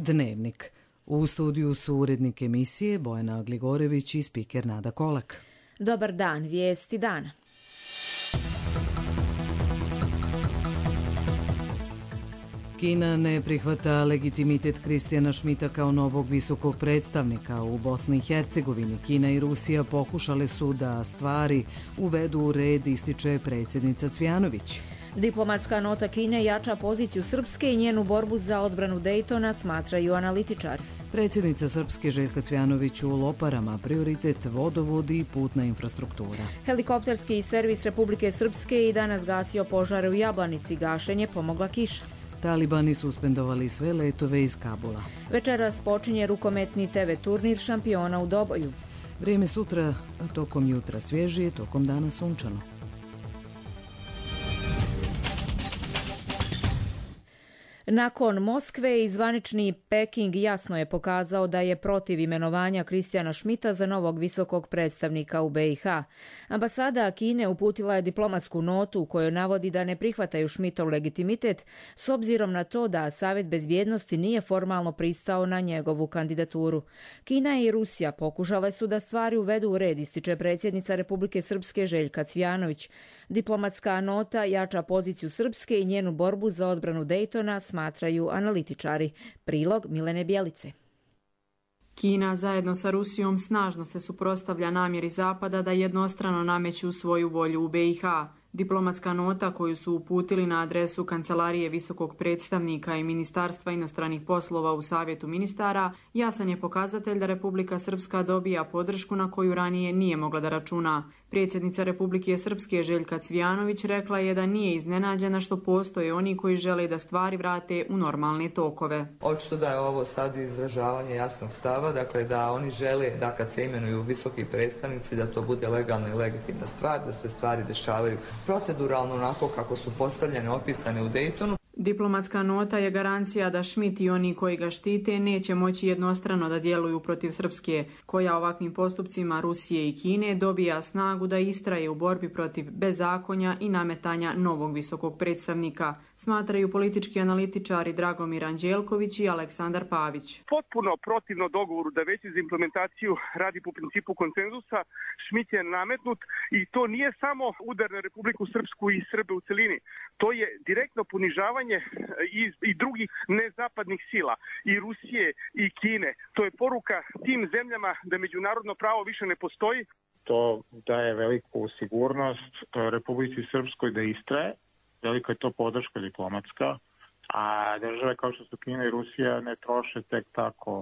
Dnevnik. U studiju su urednik emisije Bojana Gligorević i spiker Nada Kolak. Dobar dan, vijesti dana. Kina ne prihvata legitimitet Kristijana Šmita kao novog visokog predstavnika u Bosni i Hercegovini. Kina i Rusija pokušale su da stvari uvedu u red, ističe predsjednica Cvjanović. Diplomatska nota Kine jača poziciju Srpske i njenu borbu za odbranu Dejtona, smatraju analitičari. Predsjednica Srpske Željka Cvjanović u Loparama, prioritet vodovodi i putna infrastruktura. Helikopterski servis Republike Srpske i danas gasio požare u Jablanici, gašenje pomogla kiša. Talibani suspendovali sve letove iz Kabula. Večeras počinje rukometni TV turnir šampiona u Doboju. Vrijeme sutra, tokom jutra svježije, tokom dana sunčano. Nakon Moskve i zvanični Peking jasno je pokazao da je protiv imenovanja Kristijana Šmita za novog visokog predstavnika u BiH. Ambasada Kine uputila je diplomatsku notu u kojoj navodi da ne prihvataju Šmitov legitimitet s obzirom na to da Savjet bezbjednosti nije formalno pristao na njegovu kandidaturu. Kina i Rusija pokušale su da stvari uvedu u red, ističe predsjednica Republike Srpske Željka Cvjanović. Diplomatska nota jača poziciju Srpske i njenu borbu za odbranu Dejtona, smatraju analitičari. Prilog Milene Bjelice. Kina zajedno sa Rusijom snažno se suprotstavlja namjeri Zapada da jednostrano nameću svoju volju u BiH. Diplomatska nota koju su uputili na adresu Kancelarije visokog predstavnika i Ministarstva inostranih poslova u Savjetu ministara jasan je pokazatelj da Republika Srpska dobija podršku na koju ranije nije mogla da računa. Predsjednica Republike Srpske Željka Cvjanović rekla je da nije iznenađena što postoje oni koji žele da stvari vrate u normalne tokove. Očito da je ovo sad izražavanje jasnog stava, dakle da oni žele da kad se imenuju visoki predstavnici da to bude legalna i legitimna stvar, da se stvari dešavaju proceduralno onako kako su postavljene, opisane u Dejtonu. Diplomatska nota je garancija da Šmit i oni koji ga štite neće moći jednostrano da djeluju protiv Srpske, koja ovakvim postupcima Rusije i Kine dobija snagu da istraje u borbi protiv bezakonja i nametanja novog visokog predstavnika, smatraju politički analitičari Dragomir Anđelković i Aleksandar Pavić. Potpuno protivno dogovoru da već za implementaciju radi po principu konsenzusa, Šmit je nametnut i to nije samo udar na Republiku Srpsku i Srbe u celini. To je direktno ponižavanje i drugih nezapadnih sila, i Rusije i Kine. To je poruka tim zemljama da međunarodno pravo više ne postoji. To daje veliku sigurnost Republici Srpskoj da istraje, velika je to podrška diplomatska, a države kao što su Kina i Rusija ne troše tek tako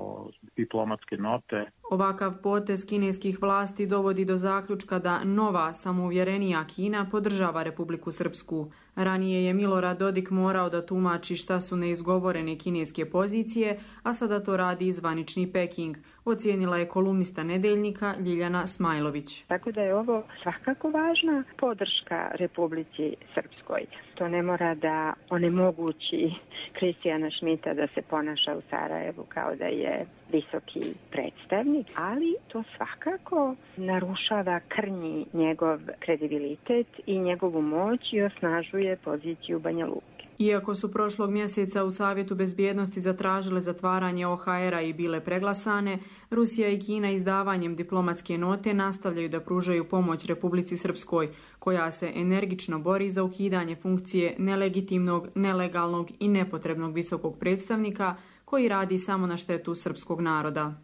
diplomatske note. Ovakav potez kineskih vlasti dovodi do zaključka da nova, samouvjerenija Kina podržava Republiku Srpsku. Ranije je Milorad Dodik morao da tumači šta su neizgovorene kineske pozicije, a sada to radi i zvanični Peking, ocijenila je kolumnista Nedeljnika Ljiljana Smajlović. Tako da je ovo svakako važna podrška Republici Srpskoj. To ne mora da onemogući Kristijana Šmita da se ponaša u Sarajevu kao da je visoki predstavnik, ali to svakako narušava, krnji njegov kredibilitet i njegovu moć i osnažuje poziciju Banja Luke. Iako su prošlog mjeseca u Savjetu bezbjednosti zatražile zatvaranje OHR-a i bile preglasane, Rusija i Kina izdavanjem diplomatske note nastavljaju da pružaju pomoć Republici Srpskoj, koja se energično bori za ukidanje funkcije nelegitimnog, nelegalnog i nepotrebnog visokog predstavnika koji radi samo na štetu srpskog naroda.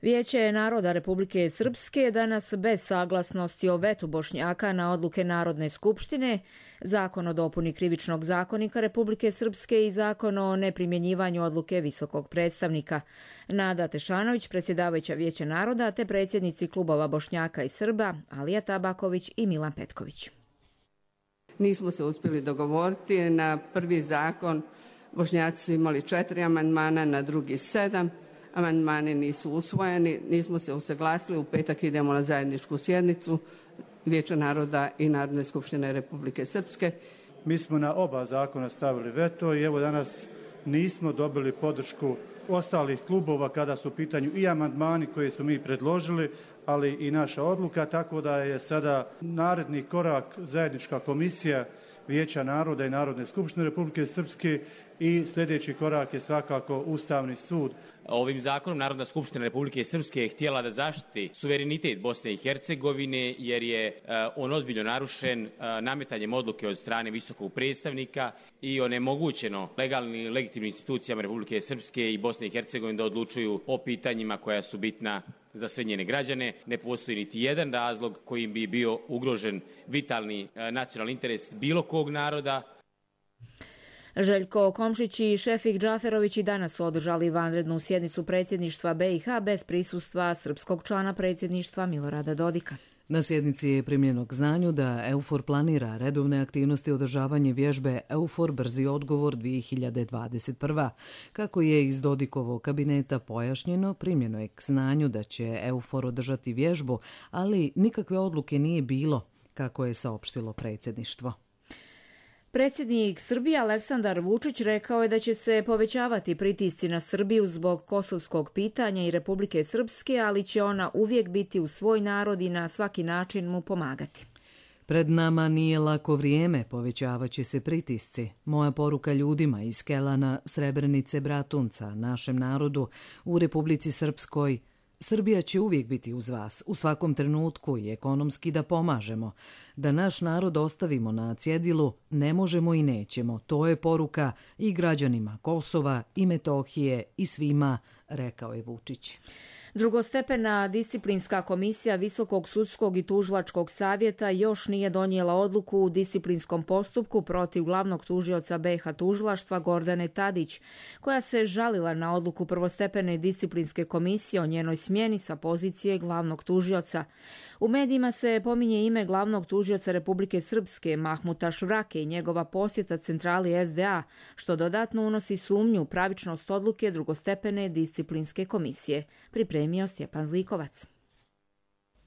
Vijeće naroda Republike Srpske danas bez saglasnosti o vetu Bošnjaka na odluke Narodne skupštine, Zakon o dopuni krivičnog zakonika Republike Srpske i Zakon o neprimjenjivanju odluke visokog predstavnika. Nada Tešanović, predsjedavajuća Vijeća naroda, te predsjednici klubova Bošnjaka i Srba, Alija Tabaković i Milan Petković. Nismo se uspjeli dogovoriti. Na prvi zakon Bošnjaci su imali 4 amandmana, na drugi 7. Amandmani nisu usvojeni, nismo se usaglasili, u petak idemo na zajedničku sjednicu Vijeća naroda i Narodne skupštine Republike Srpske. Mi smo na oba zakona stavili veto i evo danas nismo dobili podršku ostalih klubova kada su u pitanju i amandmani koje smo mi predložili, ali i naša odluka, tako da je sada naredni korak zajednička komisija Vijeća naroda i Narodne skupštine Republike Srpske i sljedeći korak je svakako Ustavni sud. Ovim zakonom Narodna skupština Republike Srpske je htjela da zaštiti suverenitet Bosne i Hercegovine jer je on ozbiljno narušen nametanjem odluke od strane visokog predstavnika i onemogućeno legalnim i legitimnim institucijama Republike Srpske i Bosne i Hercegovine da odlučuju o pitanjima koja su bitna za sve njene građane. Ne postoji niti jedan razlog kojim bi bio ugrožen vitalni nacionalni interes bilo kog naroda. Željko Komšić i Šefik Džaferović i danas su održali vanrednu sjednicu predsjedništva BiH bez prisustva srpskog člana predsjedništva Milorada Dodika. Na sjednici je primljeno k znanju da EUFOR planira redovne aktivnosti održavanje vježbe EUFOR Brzi odgovor 2021. Kako je iz Dodikovog kabineta pojašnjeno, primljeno je k znanju da će EUFOR održati vježbu, ali nikakve odluke nije bilo, kako je saopštilo predsjedništvo. Predsjednik Srbije Aleksandar Vučić rekao je da će se povećavati pritisci na Srbiju zbog kosovskog pitanja i Republike Srpske, ali će ona uvijek biti uz svoj narod i na svaki način mu pomagati. Pred nama nije lako vrijeme, povećavaće se pritisci. Moja poruka ljudima iz Kelana, Srebrenice, Bratunca, našem narodu u Republici Srpskoj: Srbija će uvijek biti uz vas, u svakom trenutku i ekonomski da pomažemo. Da naš narod ostavimo na cjedilu ne možemo i nećemo. To je poruka i građanima Kosova i Metohije i svima, rekao je Vučić. Drugostepena disciplinska komisija Visokog sudskog i tužilačkog savjeta još nije donijela odluku u disciplinskom postupku protiv glavnog tužioca BiH tužilaštva Gordane Tadić, koja se žalila na odluku prvostepene disciplinske komisije o njenoj smjeni sa pozicije glavnog tužioca. U medijima se pominje ime glavnog tužioca Republike Srpske Mahmuta Švrake i njegova posjeta centrali SDA, što dodatno unosi sumnju pravičnost odluke drugostepene disciplinske komisije. Pripremio Stjepan Zlikovac.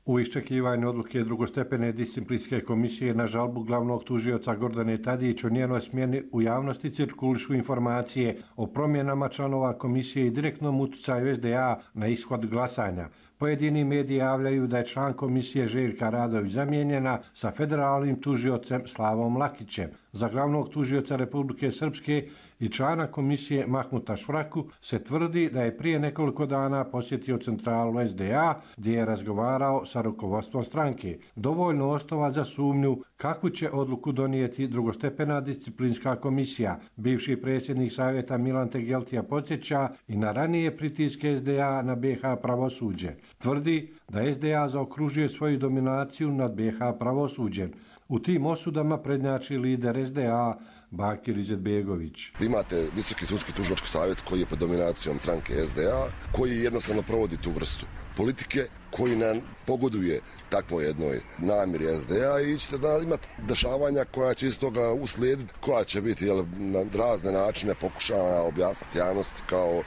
U iščekivanju odluke drugostepene disciplinske komisije na žalbu glavnog tužioca Gordane Tadić o njenoj smjeni u javnosti cirkulišu informacije o promjenama članova komisije i direktnom utjecaju SDA na ishod glasanja. Pojedini mediji javljaju da je član komisije Željka Radović zamijenjena sa federalnim tužiocem Slavom Lakićem. Za glavnog tužioca Republike Srpske i člana komisije Mahmuta Švraku se tvrdi da je prije nekoliko dana posjetio centralu SDA gdje je razgovarao sa rukovodstvom stranke. Dovoljno osnova za sumnju kakvu će odluku donijeti drugostepena disciplinska komisija. Bivši predsjednik savjeta Milan Tegeltija podsjeća i na ranije pritiske SDA na BiH pravosuđe. Tvrdi da SDA zaokružuje svoju dominaciju nad BiH pravosuđem. U tim osudama prednjači lider SDA Bakir Izetbegović. Imate Visoki sudski tužilački savjet koji je pod dominacijom stranke SDA, koji jednostavno provodi tu vrstu politike, koji nam pogoduje takvoj jednoj namjeri SDA i ćete da imati dešavanja koja će iz toga uslijediti, koja će biti na razne načine pokušavana objasniti javnosti kao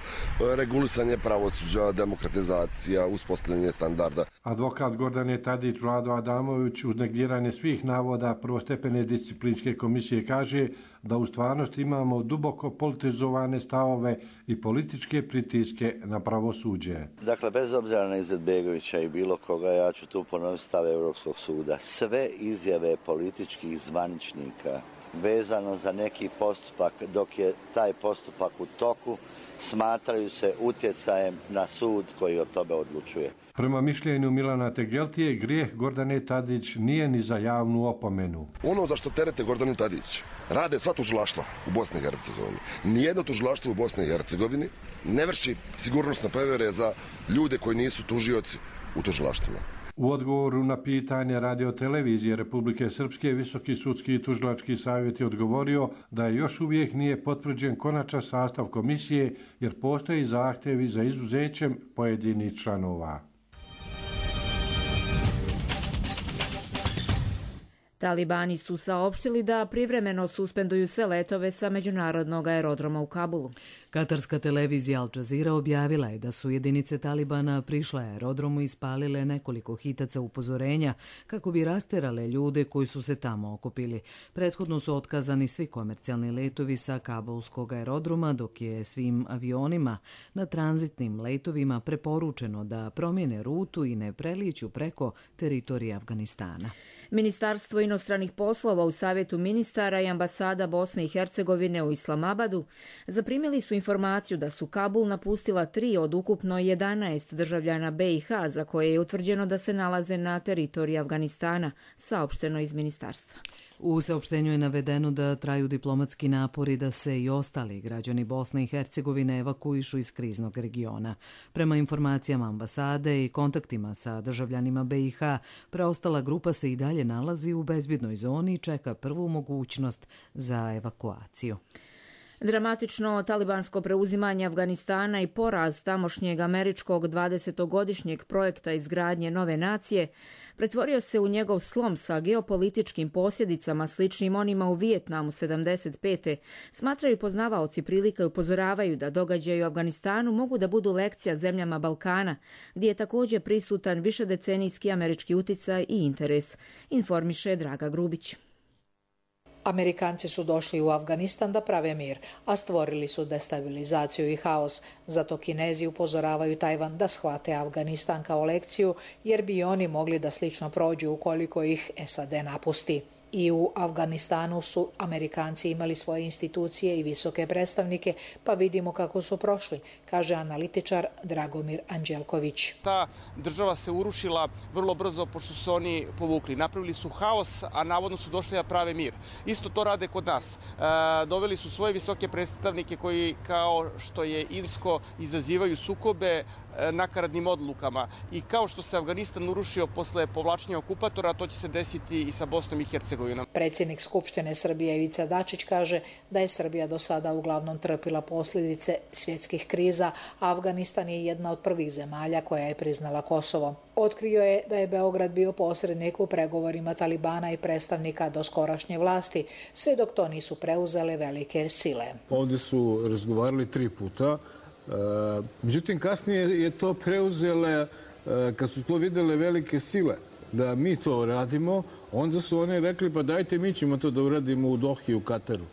regulisanje pravosuđa, demokratizacija, uspostavljanje standarda. Advokat Gordane Tadić Vlado Adamović uz negiranje svih navoda prvostepene disciplinske komisije kaže da u stvarnosti imamo duboko politizovane stavove i političke pritiske na pravosuđe. Dakle, bez obzira na Izetbegovića i bilo koga, ja ću tu ponoviti stav Europskog suda. Sve izjave političkih zvaničnika vezano za neki postupak dok je taj postupak u toku smatraju se utjecajem na sud koji o tome odlučuje. Prema mišljenju Milana Tegeltije, grijeh Gordane Tadić nije ni za javnu opomenu. Ono za što terete Gordanu Tadić rade sva tužilaštva u Bosni i Hercegovini. Nijedno tužilaštvo u Bosni i Hercegovini ne vrši sigurnosne provjere za ljude koji nisu tužioci u tužilaštvima. U odgovoru na pitanje radiotelevizije Republike Srpske, Visoki sudski i tužilački savjet je odgovorio da još uvijek nije potvrđen konačan sastav komisije jer postoji zahtjevi za izuzećem pojedinih članova. Talibani su saopštili da privremeno suspenduju sve letove sa međunarodnog aerodroma u Kabulu. Katarska televizija Al Jazeera objavila je da su jedinice Talibana prišle aerodromu i spalile nekoliko hitaca upozorenja kako bi rasterale ljude koji su se tamo okupili. Prethodno su otkazani svi komercijalni letovi sa kabulskog aerodroma, dok je svim avionima na tranzitnim letovima preporučeno da promijene rutu i ne prelijeću preko teritorija Afganistana. Ministarstvo inostranih poslova u Savjetu ministara i ambasada Bosne i Hercegovine u Islamabadu zaprimili su informaciju da su Kabul napustila 3 od ukupno 11 državljana BiH za koje je utvrđeno da se nalaze na teritoriji Afganistana, saopšteno iz ministarstva. U saopštenju je navedeno da traju diplomatski napori da se i ostali građani Bosne i Hercegovine evakuišu iz kriznog regiona. Prema informacijama ambasade i kontaktima sa državljanima BiH, preostala grupa se i dalje nalazi u bezbjednoj zoni i čeka prvu mogućnost za evakuaciju. Dramatično talibansko preuzimanje Afganistana i poraz tamošnjeg američkog 20-godišnjeg projekta izgradnje nove nacije pretvorio se u njegov slom sa geopolitičkim posljedicama sličnim onima u Vijetnamu 75. Smatraju poznavaoci prilika i upozoravaju da događaji u Afganistanu mogu da budu lekcija zemljama Balkana, gdje je također prisutan višedecenijski američki uticaj i interes, informiše Draga Grubić. Amerikanci su došli u Afganistan da prave mir, a stvorili su destabilizaciju i haos. Zato Kinezi upozoravaju Tajvan da shvate Afganistan kao lekciju, jer bi oni mogli da slično prođu ukoliko ih SAD napusti. I u Afganistanu su Amerikanci imali svoje institucije i visoke predstavnike, pa vidimo kako su prošli, kaže analitičar Dragomir Anđelković. Ta država se urušila vrlo brzo pošto su oni povukli. Napravili su haos, a navodno su došli da prave mir. Isto to rade kod nas. Doveli su svoje visoke predstavnike koji, kao što je Irsko, izazivaju sukobe nakaradnim odlukama. I kao što se Afganistan urušio posle povlačenja okupatora, to će se desiti i sa Bosnom i Hercegovinom. Predsjednik Skupštine Srbije Ivica Dačić kaže da je Srbija do sada uglavnom trpila posljedice svjetskih kriza, a Afganistan je jedna od prvih zemalja koja je priznala Kosovo. Otkrio je da je Beograd bio posrednik u pregovorima Talibana i predstavnika doskorašnje vlasti, sve dok to nisu preuzele velike sile. Ovdje su razgovarali 3 puta. Međutim, kasnije je to preuzele, kad su to vidjele velike sile, da mi to radimo, onda su oni rekli pa dajte mi ćemo to da uradimo u Dohi, u Kataru.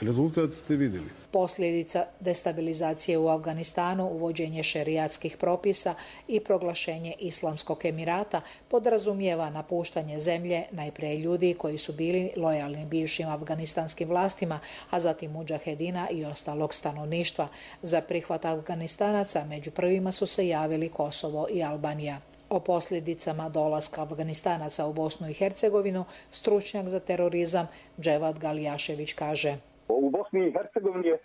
Rezultat ste vidjeli. Posljedica destabilizacije u Afganistanu, uvođenje šerijatskih propisa i proglašenje Islamskog Emirata podrazumijeva napuštanje zemlje najprije ljudi koji su bili lojalni bivšim afganistanskim vlastima, a zatim mudžahedina i ostalog stanovništva. Za prihvat Afganistanaca među prvima su se javili Kosovo i Albanija. O posljedicama dolaska Afganistanaca u Bosnu i Hercegovinu stručnjak za terorizam Dževad Galijašević kaže: U Bosni i Hercegovini je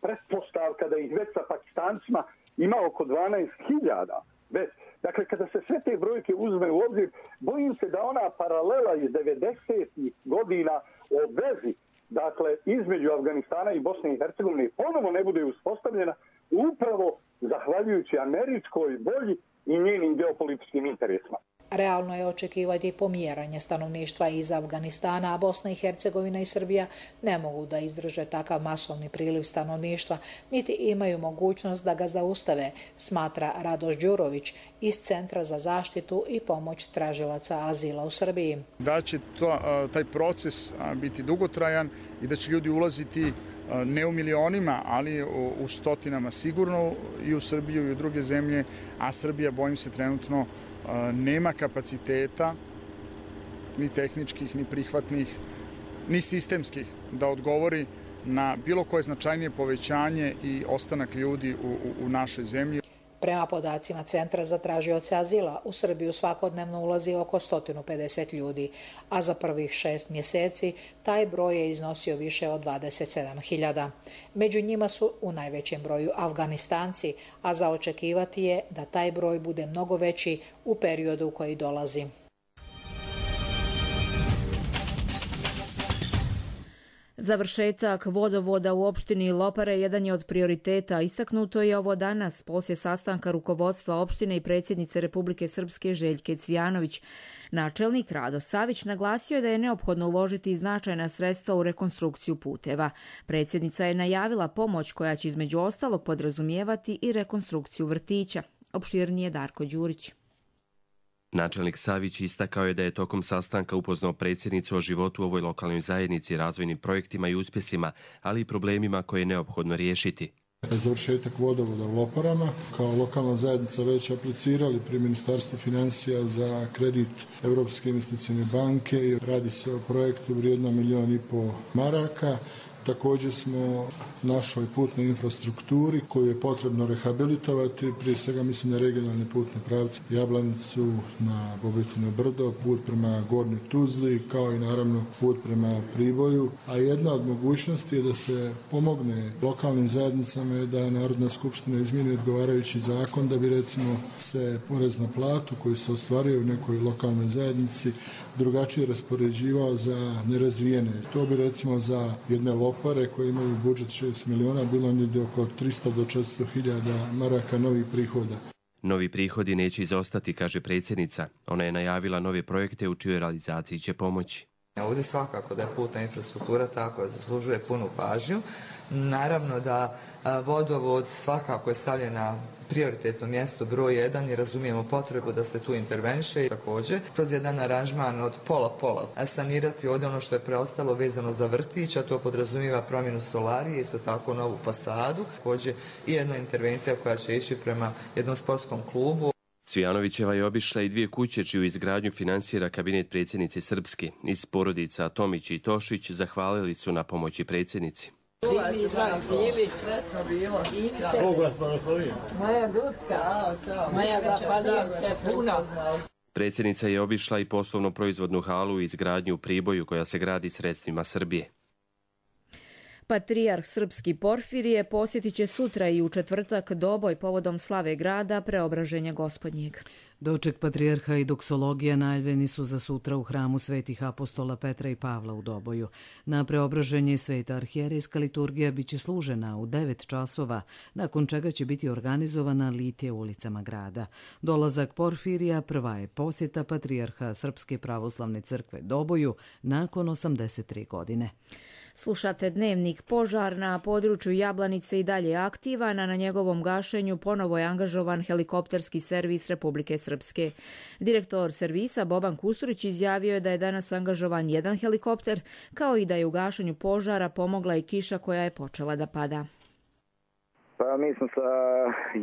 pretpostavka da ih već sa Pakistancima ima oko 12.000. Dakle, kada se sve te brojke uzme u obzir, bojim se da ona paralela iz 90. godina o vezi, dakle, između Afganistana i Bosne i Hercegovine ponovo ne bude uspostavljena upravo zahvaljujući američkoj volji i njenim geopolitičkim interesima. Realno je očekivati pomjeranje stanovništva iz Afganistana, a Bosna i Hercegovina i Srbija ne mogu da izdrže takav masovni priliv stanovništva, niti imaju mogućnost da ga zaustave, smatra Radoš Đurović iz Centra za zaštitu i pomoć tražilaca azila u Srbiji. Da će taj proces biti dugotrajan i da će ljudi ulaziti ne u milionima, ali u stotinama sigurno i u Srbiju i u druge zemlje, a Srbija, bojim se, trenutno nema kapaciteta ni tehničkih, ni prihvatnih, ni sistemskih da odgovori na bilo koje značajnije povećanje i ostanak ljudi u našoj zemlji. Prema podacima Centra za tražioce azila, u Srbiju svakodnevno ulazi oko 150 ljudi, a za prvih 6 mjeseci taj broj je iznosio više od 27.000. Među njima su u najvećem broju Afganistanci, a za očekivati je da taj broj bude mnogo veći u periodu koji dolazi. Završetak vodovoda u opštini Lopare jedan je od prioriteta. Istaknuto je ovo danas poslije sastanka rukovodstva opštine i predsjednice Republike Srpske Željke Cvijanović. Načelnik Rado Savić naglasio je da je neophodno uložiti značajna sredstva u rekonstrukciju puteva. Predsjednica je najavila pomoć koja će između ostalog podrazumijevati i rekonstrukciju vrtića. Opširnije Darko Đurić. Načelnik Savić istakao je da je tokom sastanka upoznao predsjednicu o životu u ovoj lokalnoj zajednici, razvojnim projektima i uspjesima, ali i problemima koje je neophodno riješiti. Završetak vodovoda u Loparama. Kao lokalna zajednica već aplicirali pri Ministarstvu financija za kredit Europske investicione banke i radi se o projektu vrijednom 1,5 milijuna maraka. Također smo našoj putnoj infrastrukturi koju je potrebno rehabilitovati, prije svega mislim na regionalne putne pravce Jablanicu, na Bobetino brdo, put prema Gornjoj Tuzli, kao i naravno put prema Priboju. A jedna od mogućnosti je da se pomogne lokalnim zajednicama je da Narodna skupština izmijeni odgovarajući zakon da bi recimo se porez na platu koji se ostvaruje u nekoj lokalnoj zajednici drugačije raspoređivao za nerazvijene. To bi recimo za jedne Lopare koje imaju budžet 6 miliona bilo negdje oko 300 do 400 hiljada maraka novih prihoda. Novi prihodi neće izostati, kaže predsjednica. Ona je najavila nove projekte u čijoj realizaciji će pomoći. Ovdje svakako da je putna infrastruktura tako da zaslužuje punu pažnju. Naravno da vodovod svakako je stavljen na prioritetno mjesto broj 1 i razumijemo potrebu da se tu interveniše i također kroz jedan aranžman od pola sanirati ovdje ono što je preostalo vezano za vrtić, a to podrazumijeva promjenu stolarije, isto tako novu fasadu, također i jedna intervencija koja će ići prema jednom sportskom klubu. Cvijanovićeva je obišla i 2 kuće čiju izgradnju finansira kabinet predsjednice Srpske. Iz porodica Tomić i Tošić zahvalili su na pomoći predsjednici. Predsjednica je obišla i poslovno proizvodnu halu i izgradnju u Priboju koja se gradi sredstvima Srbije. Patrijarh srpski Porfirije posjetit će sutra i u četvrtak Doboj povodom slave grada Preobraženja Gospodnjeg. Doček patrijarha i doksologija najavljeni su za sutra u hramu svetih apostola Petra i Pavla u Doboju. Na Preobraženje sveta arhijerejska liturgija biće služena u 9 časova, nakon čega će biti organizovana litije ulicama grada. Dolazak Porfirija prva je posjeta patrijarha Srpske pravoslavne crkve Doboju nakon 83 godine. Slušate Dnevnik. Požar na području Jablanice i dalje aktivan, a na njegovom gašenju ponovo je angažovan helikopterski servis Republike Srpske. Direktor servisa Boban Kusturić izjavio je da je danas angažovan jedan helikopter, kao i da je u gašenju požara pomogla i kiša koja je počela da pada. Pa mi smo sa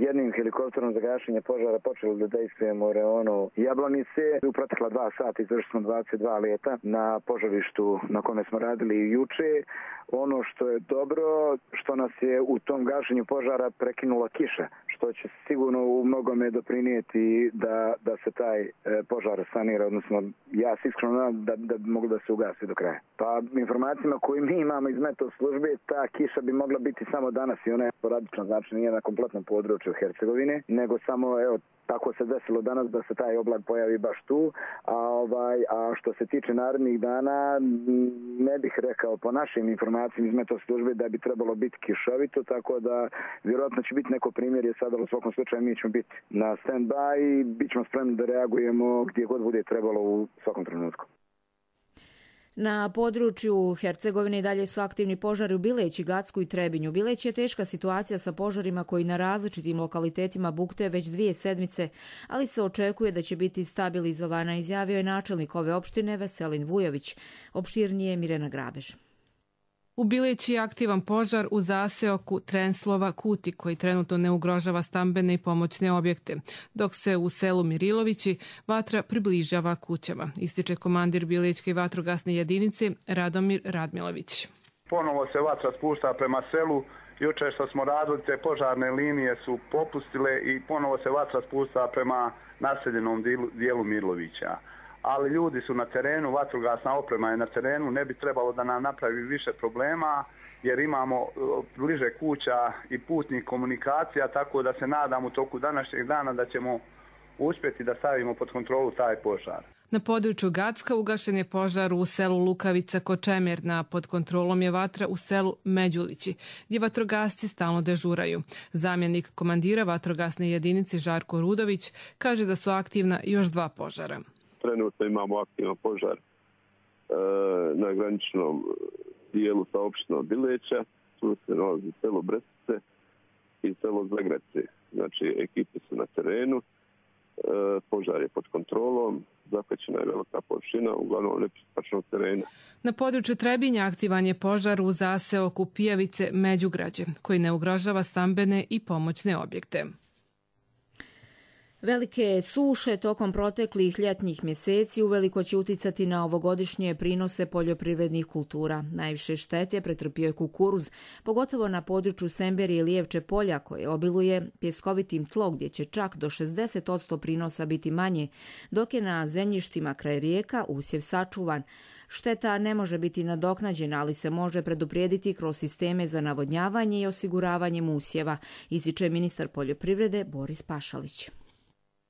jednim helikopterom za gašenje požara počeli da dejstvujemo u reonu Jablanice. U protekla 2 sata izvršili smo 22 leta na požarištu na kome smo radili juče. Ono što je dobro, što nas je u tom gašenju požara prekinula kiša, što će sigurno u mnogome doprinijeti da se taj požar sanira, odnosno ja se iskreno nadam da bi moglo da se ugasi do kraja. Pa informacijama koje mi imamo iz meteo službe, ta kiša bi mogla biti samo danas i ona je sporadična, znači nije na kompletnom području Hercegovine, nego samo tako se desilo danas da se taj oblak pojavi baš tu, a što se tiče narednih dana, ne bih rekao po našim informacijama iz meteo službe da bi trebalo biti kišovito, tako da vjerojatno će biti neko primjer sada, u svakom slučaju mi ćemo biti na stand-by i bit ćemo spremni da reagujemo gdje god bude trebalo u svakom trenutku. Na području Hercegovine i dalje su aktivni požari u Bileći, Gacku i Trebinju. Bileć je teška situacija sa požarima koji na različitim lokalitetima bukte već 2 sedmice, ali se očekuje da će biti stabilizovana, izjavio je načelnik ove opštine Veselin Vujović. Opširnije Mirena Grabež. U Bileći je aktivan požar u zaseoku Trenslova Kuti koji trenutno ne ugrožava stambene i pomoćne objekte, dok se u selu Mirilovići vatra približava kućama, ističe komandir Bilečke vatrogasne jedinice Radomir Radmilović. Ponovo se vatra spušta prema selu. Juče što smo radili, te požarne linije su popustile i ponovo se vatra spušta prema naseljenom dijelu Mirlovića. Ali ljudi su na terenu, vatrogasna oprema je na terenu, ne bi trebalo da nam napravi više problema jer imamo bliže kuća i putnih komunikacija, tako da se nadam u toku današnjeg dana da ćemo uspjeti da stavimo pod kontrolu taj požar. Na području Gacka ugašen je požar u selu Lukavica Kočemerna, pod kontrolom je vatra u selu Međulići, gdje vatrogasci stalno dežuraju. Zamjenik komandira vatrogasne jedinice Žarko Rudović kaže da su aktivna još 2 požara. Trenutno imamo aktivan požar na graničnom dijelu sa opštinom Bileća, tu se nalazi selo Brestice i selo Zagrece. Znači, ekipe su na terenu. požar je pod kontrolom, zahvaćena je velika površina, uglavnom nepristupačnog terena. Na području Trebinja aktivan je požar u zaseoku Pijavice Međugrađe, koji ne ugrožava stambene i pomoćne objekte. Velike suše tokom proteklih ljetnih mjeseci uveliko će uticati na ovogodišnje prinose poljoprivrednih kultura. Najviše štete pretrpio je kukuruz, pogotovo na području Semberije i Lijevče polja koje obiluje pjeskovitim tlo gdje će čak do 60% prinosa biti manje, dok je na zemljištima kraj rijeka usjev sačuvan. Šteta ne može biti nadoknađena, ali se može preduprijediti kroz sisteme za navodnjavanje i osiguravanjem usjeva, ističe ministar poljoprivrede Boris Pašalić.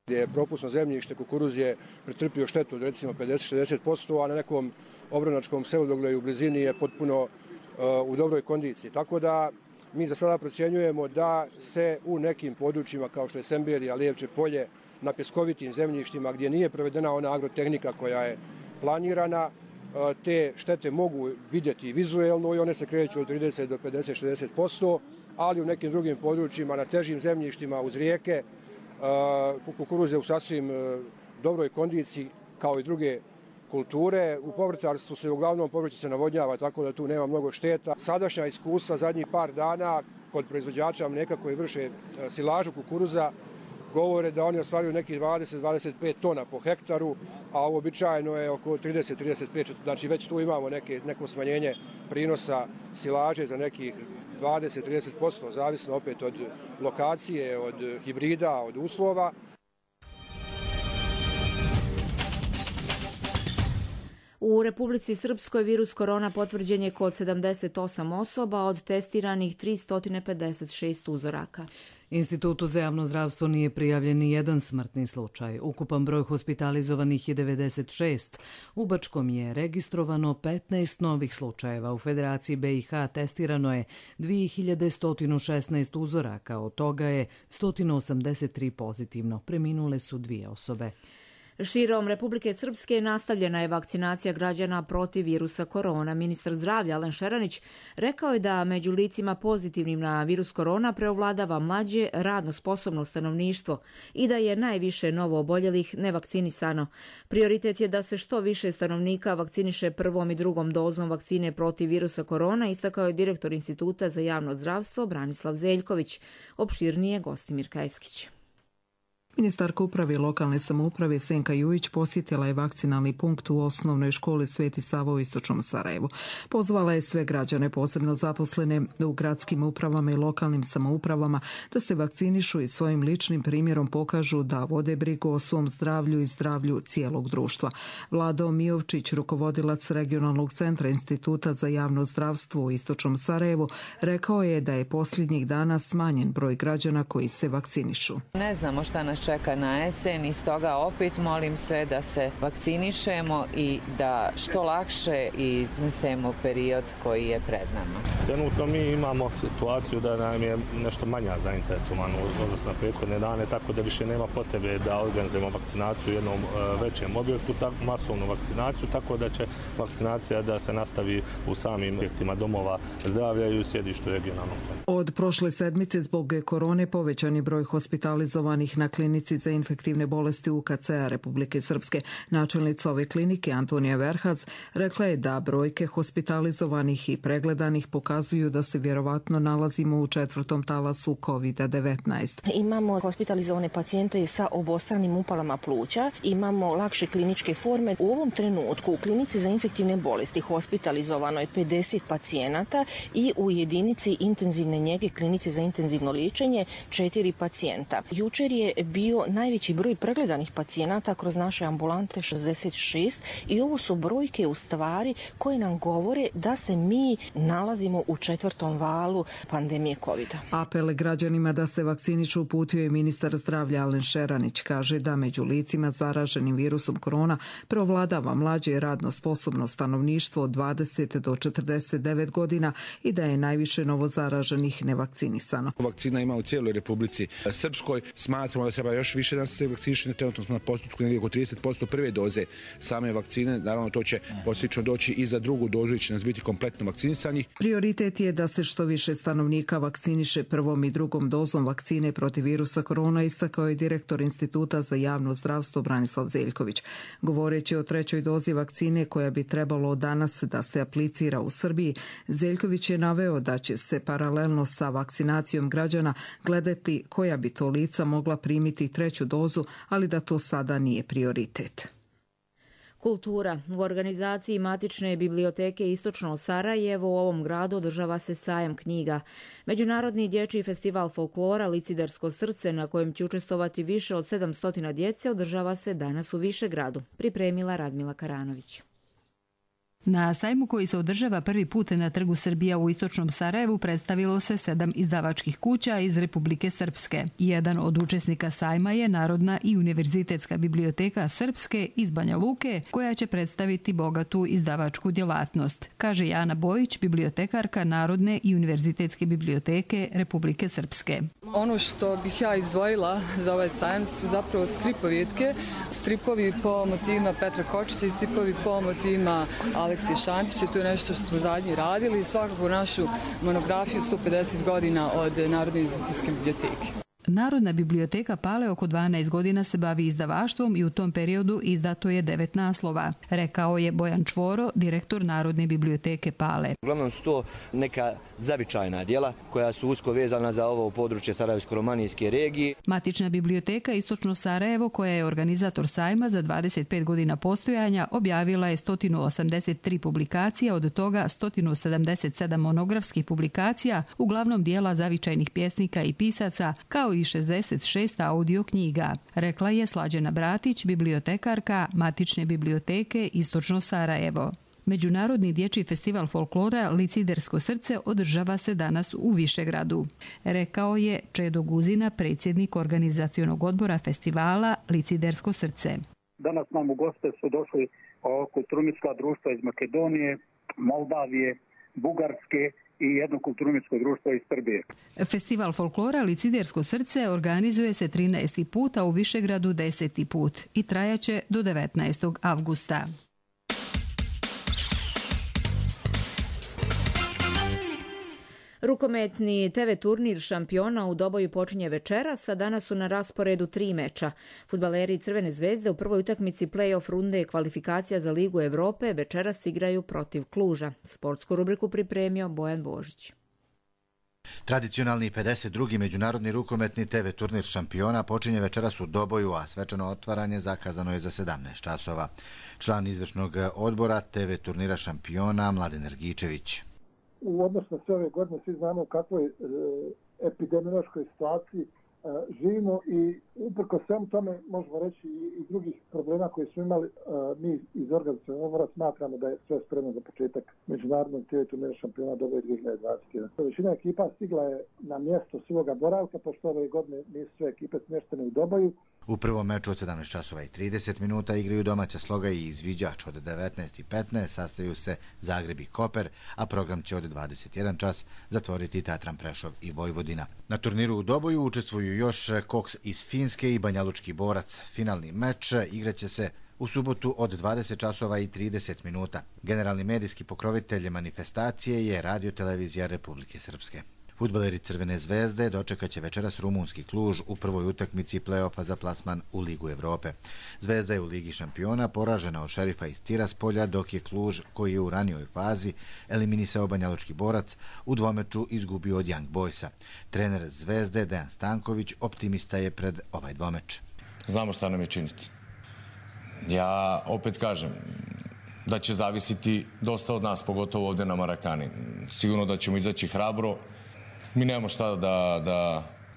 Gdje je propusno zemljište, kukuruz je pretrpio štetu od recimo 50-60%, a na nekom obranačkom selu dole u blizini je potpuno u dobroj kondiciji. Tako da mi za sada procjenjujemo da se u nekim područjima kao što je Semberija, Lijevče polje, na pjeskovitim zemljištima gdje nije provedena ona agrotehnika koja je planirana, te štete mogu vidjeti vizuelno i one se kreću od 30 do 50-60%, ali u nekim drugim područjima na težim zemljištima uz rijeke kukuruz je u sasvim dobroj kondiciji kao i druge kulture. U povrtarstvu se uglavnom povrće se navodnjava, tako da tu nema mnogo šteta. Sadašnja iskustva zadnjih par dana kod proizvođača mlijeka koji vrše silažu kukuruza govore da oni ostvaruju nekih 20-25 tona po hektaru, a uobičajeno je oko 30-35, znači već tu imamo neko smanjenje prinosa silaže za nekih 20-30%, zavisno opet od lokacije, od hibrida, od uslova. U Republici Srpskoj virus korona potvrđen je kod 78 osoba od testiranih 356 uzoraka. Institutu za javno zdravstvo nije prijavljen ni jedan smrtni slučaj. Ukupan broj hospitalizovanih je 96. U Bačkom je registrovano 15 novih slučajeva. U Federaciji BiH testirano je 2116 uzoraka, od toga je 183 pozitivno. Preminule su 2 osobe. Širom Republike Srpske nastavljena je vakcinacija građana protiv virusa korona. Ministar zdravlja Alen Šeranić rekao je da među licima pozitivnim na virus korona preovladava mlađe, radno sposobno stanovništvo i da je najviše novo oboljelih nevakcinisano. Prioritet je da se što više stanovnika vakciniše prvom i drugom dozom vakcine protiv virusa korona, istakao je direktor Instituta za javno zdravstvo Branislav Zeljković. Opširnije Gostimir Kajskić. Ministarka uprave i lokalne samouprave Senka Jujić posjetila je vakcinalni punkt u osnovnoj školi Sveti Sava u istočnom Sarajevu. Pozvala je sve građane, posebno zaposlene u gradskim upravama i lokalnim samoupravama, da se vakcinišu i svojim ličnim primjerom pokažu da vode brigu o svom zdravlju i zdravlju cijelog društva. Vlado Mijovčić, rukovodilac regionalnog centra Instituta za javno zdravstvo u istočnom Sarajevu, rekao je da je posljednjih dana smanjen broj građana koji se vakcinišu. Ne znamo šta nas čeka na jesen i stoga opet molim sve da se vakcinišemo i da što lakše iznesemo period koji je pred nama. Trenutno mi imamo situaciju da nam je nešto manja zainteresovano odnosno na prethodne dane, tako da više nema potrebe da organizujemo vakcinaciju u jednom većem objektu, masovnu vakcinaciju, tako da će vakcinacija da se nastavi u samim objektima domova zdravlja i u sjedištu regionalnog centra. Od prošle sedmice zbog korone povećan je broj hospitalizovanih na klinici za infektivne bolesti UKC-a Republike Srpske. Načelnica ove klinike Antonija Verhac rekla je da brojke hospitalizovanih i pregledanih pokazuju da se vjerovatno nalazimo u 4. talasu COVID-19. Imamo hospitalizovane pacijente sa obostranim upalama pluća, imamo lakše kliničke forme. U ovom trenutku u klinici za infektivne bolesti hospitalizovano je 50 pacijenata i u jedinici intenzivne njege klinici za intenzivno liječenje 4 pacijenta. Jučer je bio najveći broj pregledanih pacijenata kroz naše ambulante 66 i ovo su brojke u stvari koje nam govore da se mi nalazimo u 4. valu pandemije COVID-a. Apel građanima da se vakcinišu uputio je ministar zdravlja Alen Šeranić. Kaže da među licima zaraženim virusom korona preovladava mlađe i radno sposobno stanovništvo od 20 do 49 godina i da je najviše novo zaraženih nevakcinisano. Vakcina ima u cijeloj Republici Srpskoj. Smatramo da treba treba još više da se vakciniše, trenutno smo na postotku negdje oko 30% prve doze same vakcine, naravno to će poslično doći i za drugu dozu i će nas biti kompletno vakcinisanih. Prioritet je da se što više stanovnika vakciniše prvom i drugom dozom vakcine protiv virusa korona, istakao je direktor Instituta za javno zdravstvo Branislav Zeljković. Govoreći o trećoj dozi vakcine koja bi trebalo danas da se aplicira u Srbiji, Zeljković je naveo da će se paralelno sa vakcinacijom građana gledati koja bi to lica mogla primiti treću dozu, ali da to sada nije prioritet. Kultura. U organizaciji Matične biblioteke Istočno Sarajevo u ovom gradu održava se sajam knjiga. Međunarodni dječji festival folklora Licidersko srce, na kojem će učestvovati više od 700 djece, održava se danas u Višegradu. Pripremila Radmila Karanović. Na sajmu koji se održava prvi put na Trgu Srbija u Istočnom Sarajevu predstavilo se 7 izdavačkih kuća iz Republike Srpske. Jedan od učesnika sajma je Narodna i univerzitetska biblioteka Srpske iz Banja Luke, koja će predstaviti bogatu izdavačku djelatnost, kaže Jana Bojić, bibliotekarka Narodne i univerzitetske biblioteke Republike Srpske. Ono što bih ja izdvojila za ovaj sajam su zapravo stripovjetke, stripovi po motivima Petra Kočića i stripovi po motivima Aleksije Šantića. To je nešto što smo zadnji radili i svakako našu monografiju 150 godina od Narodne univerzitetske biblioteke. Narodna biblioteka Pale oko 12 godina se bavi izdavaštvom i u tom periodu izdato je 9 naslova, rekao je Bojan Čvoro, direktor Narodne biblioteke Pale. Uglavnom su to neka zavičajna djela koja su usko vezana za ovo područje Sarajevsko-romanijske regije. Matična biblioteka Istočno Sarajevo, koja je organizator sajma za 25 godina postojanja, objavila je 183 publikacija, od toga 177 monografskih publikacija, uglavnom dijela zavičajnih pjesnika i pisaca, kao i 66 audio knjiga, rekla je Slađana Bratić, bibliotekarka Matične biblioteke Istočno Sarajevo. Međunarodni dječji festival folklora Licidersko srce održava se danas u Višegradu, rekao je Čedo Guzina, predsjednik organizacionog odbora festivala Licidersko srce. Danas nam u goste su došli kulturno-umjetnička društva iz Makedonije, Moldavije, Bugarske i jedno kulturno-umjetničko društvo iz Srbije. Festival folklora Licidersko srce organizuje se 13. put, a u Višegradu 10. put i trajaće do 19. avgusta. Rukometni TV turnir šampiona u Doboju počinje večeras, a danas su na rasporedu 3 meča. Fudbaleri Crvene zvezde u prvoj utakmici play-off runde kvalifikacija za Ligu Evrope večeras igraju protiv Kluža. Sportsku rubriku pripremio Bojan Božić. Tradicionalni 52. međunarodni rukometni TV turnir šampiona počinje večeras u Doboju, a svečano otvaranje zakazano je za 17 časova. Član izvršnog odbora TV turnira šampiona Mladen Ergičević. U odnosu na sve ove godine svi znamo u kakvoj epidemiološkoj situaciji živimo i uprko svemu tome možemo reći i drugih problema koje smo imali, mi iz organizacionog odbora smatramo da je sve spremno za početak međunarodnog TV turnira šampiona Doboje 2021. Većina ekipa stigla je na mjesto svoga boravka, pošto ove godine nisu sve ekipe smještene u Doboju. U prvom meču od 17 časova i 30 minuta igraju domaća Sloga i izviđač. Od 19:15 sastaju se Zagreb i Koper, a program će od 21 čas zatvoriti Tatran Prešov i Vojvodina. Na turniru u Doboju učestvuju još Koks iz Finske i Banjalučki Borac. Finalni meč igraće se u subotu od 20 časova i 30 minuta. Generalni medijski pokrovitelj manifestacije je Radio-televizija Republike Srpske. Fudbaleri Crvene zvezde dočekat će večeras rumunski Kluž u prvoj utakmici play-offa za plasman u Ligu Evrope. Zvezda je u Ligi šampiona poražena od Šerifa iz Tiraspolja, dok je Kluž, koji je u ranijoj fazi eliminisao Banjalučki Borac, u dvomeču izgubio od Young Boysa. Trener Zvezde Dejan Stanković optimista je pred ovaj dvomeč. Znamo šta nam je činiti. Ja opet kažem da će zavisiti dosta od nas, pogotovo ovdje na Marakani. Sigurno da ćemo izaći hrabro. Mi nemamo šta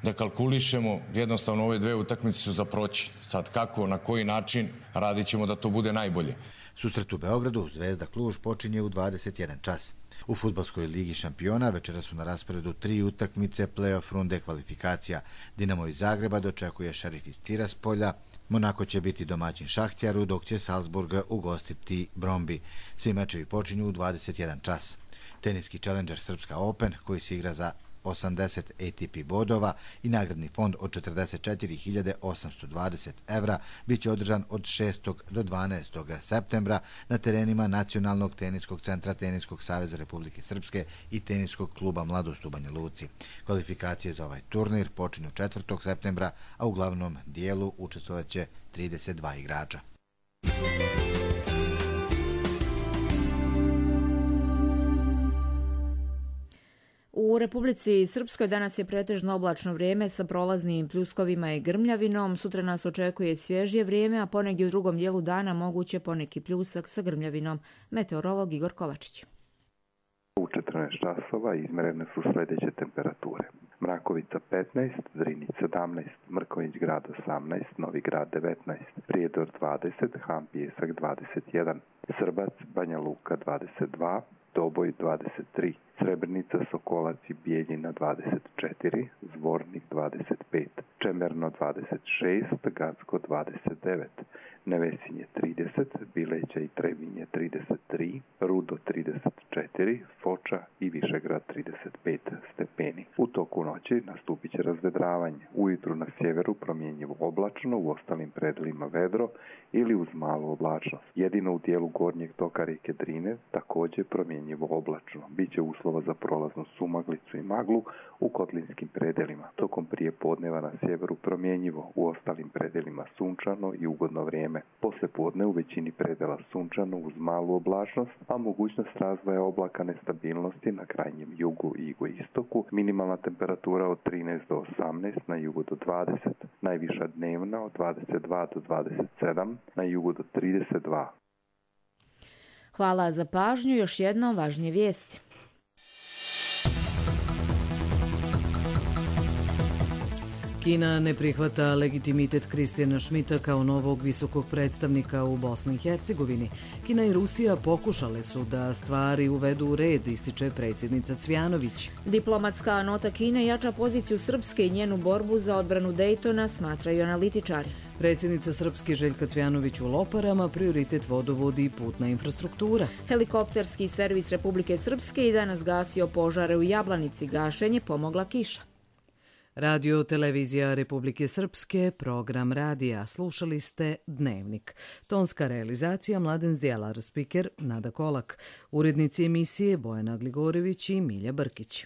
da kalkulišemo, jednostavno ove dve utakmice su za proći. Sad kako, na koji način, radit ćemo da to bude najbolje. Susret u Beogradu Zvezda Kluž počinje u 21 čas. U fudbalskoj ligi šampiona večera su na rasporedu 3 utakmice play-off runde kvalifikacija. Dinamo iz Zagreba dočekuje Šerif iz Tiraspolja, Monako će biti domaćin Šahtjaru, dok će Salzburg ugostiti Brombi. Svi mečevi počinju u 21 čas. Teniski Challenger Srpska Open, koji se igra za 80 ATP bodova i nagradni fond od 44.820 evra bit će održan od 6. do 12. septembra na terenima Nacionalnog teniskog centra Teniskog saveza Republike Srpske i Teniskog kluba Mladost u Banja Luci. Kvalifikacije za ovaj turnir počinju 4. septembra, a u glavnom dijelu učestvovaće 32 igrača. U Republici Srpskoj danas je pretežno oblačno vrijeme sa prolaznim pljuskovima i grmljavinom. Sutra nas očekuje svježije vrijeme, a ponegdje u drugom dijelu dana moguće poneki pljusak sa grmljavinom. Meteorolog Igor Kovačić. U 14 časova izmerene su sljedeće temperature. Mrakovica 15, Drinjić 17, Mrkonjić grad 18, Novi grad 19, Prijedor 20, Han Pijesak 21, Srbac, Banja Luka 22, Doboj 23, Srebrenica, Sokolac i Bijeljina 24, Zvornik 25, Čemerno 26, Gacko 29, Nevesinje 30, Bileća i Trebinje 33, Rudo 34, Foča i Višegrad 35 stepeni. U toku noći nastupit će razvedravanje. Ujutru na sjeveru promjenjivo oblačno, u ostalim predelima vedro ili uz malu oblačnost. Jedino u dijelu gornjeg toka rijeke Drine također promjenjivo oblačno. Biće uslova za prolaznu sumaglicu i maglu u kotlinskim predelima. Tokom prije podneva na sjeveru promjenjivo, u ostalim predelima sunčano i ugodno vrijeme. Poslije podne u većini predela sunčano uz malu oblačnost, a mogućnost razvoja oblaka nestabilnosti na krajnjem jugu i jugoistoku. Minimalna temperatura od 13 do 18, na jugu do 20, najviša dnevna od 22 do 27, na jugu do 32. Hvala za pažnju. Još jedno važnije vijesti. Kina ne prihvata legitimitet Kristijana Šmita kao novog visokog predstavnika u Bosni i Hercegovini. Kina i Rusija pokušale su da stvari uvedu u red, ističe predsjednica Cvjanović. Diplomatska nota Kine jača poziciju Srpske i njenu borbu za odbranu Dejtona, smatraju analitičari. Predsjednica Srpske Željka Cvjanović u Loparama, prioritet vodovodi i putna infrastruktura. Helikopterski servis Republike Srpske i danas gasio požare u Jablanici. Gašenje pomogla kiša. Radio Televizija Republike Srpske, program radija. Slušali ste Dnevnik. Tonska realizacija Mladen Zdjelar, spiker Nada Kolak. Urednici emisije Bojana Gligorević i Milja Brkić.